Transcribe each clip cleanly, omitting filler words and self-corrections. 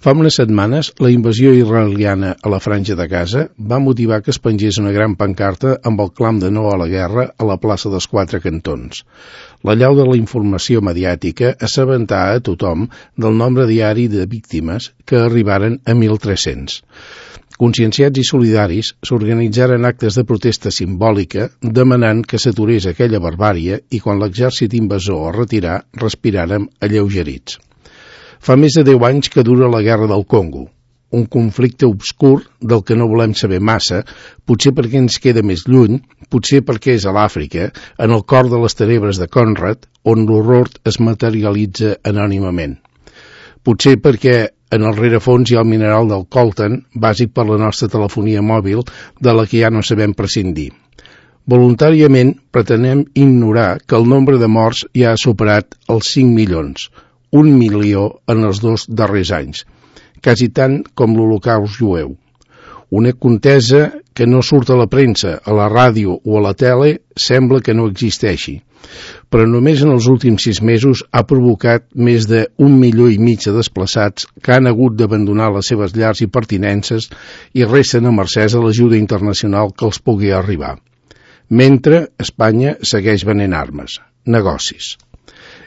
Fa unes setmanes, la invasió israeliana a la Franja de Gaza va motivar que es pengés una gran pancarta amb el clam de no a la guerra a la plaça dels Quatre Cantons. L'allau de la informació mediàtica assabentà a tothom del nombre diari de víctimes que arribaren a 1.300. Conscienciats i solidaris s'organitzaren actes de protesta simbòlica demanant que s'aturés aquella barbàrie i quan l'exèrcit invasor es retirà respiràrem alleugerits. Fa més de 10 anys que dura la Guerra del Congo, un conflicte obscur del que no volem saber massa, potser perquè ens queda més lluny, potser perquè és a l'Àfrica, en el cor de les tenebres de Conrad, on l'horror es materialitza anònimament. Potser perquè en el rerefons hi ha el mineral del coltan, bàsic per la nostra telefonia mòbil, de la que ja no sabem prescindir. Voluntàriament pretenem ignorar que el nombre de morts ja ha superat els 5 milions, 1 milió en els 2 darrers anys, quasi tant com l'Holocaust jueu. Una contesa que no surt a la premsa, a la ràdio o a la tele sembla que no existeixi, però només en els últims 6 mesos ha provocat més de 1,5 milió de desplaçats que han hagut d'abandonar les seves llars i pertinences i resten a mercès a l'ajuda internacional que els pugui arribar. Mentre Espanya segueix venent armes, negocis.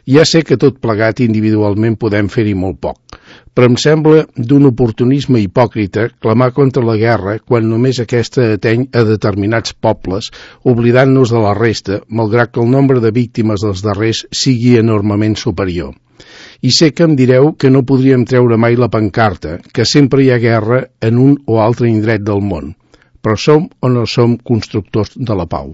Ja sé que tot plegat individualment podem fer-hi molt poc, però em sembla d'un oportunisme hipòcrita clamar contra la guerra quan només aquesta ateny a determinats pobles, oblidant-nos de la resta, malgrat que el nombre de víctimes dels darrers sigui enormement superior. I sé que em direu que no podríem treure mai la pancarta, que sempre hi ha guerra en un o altre indret del món, però som o no som constructors de la pau.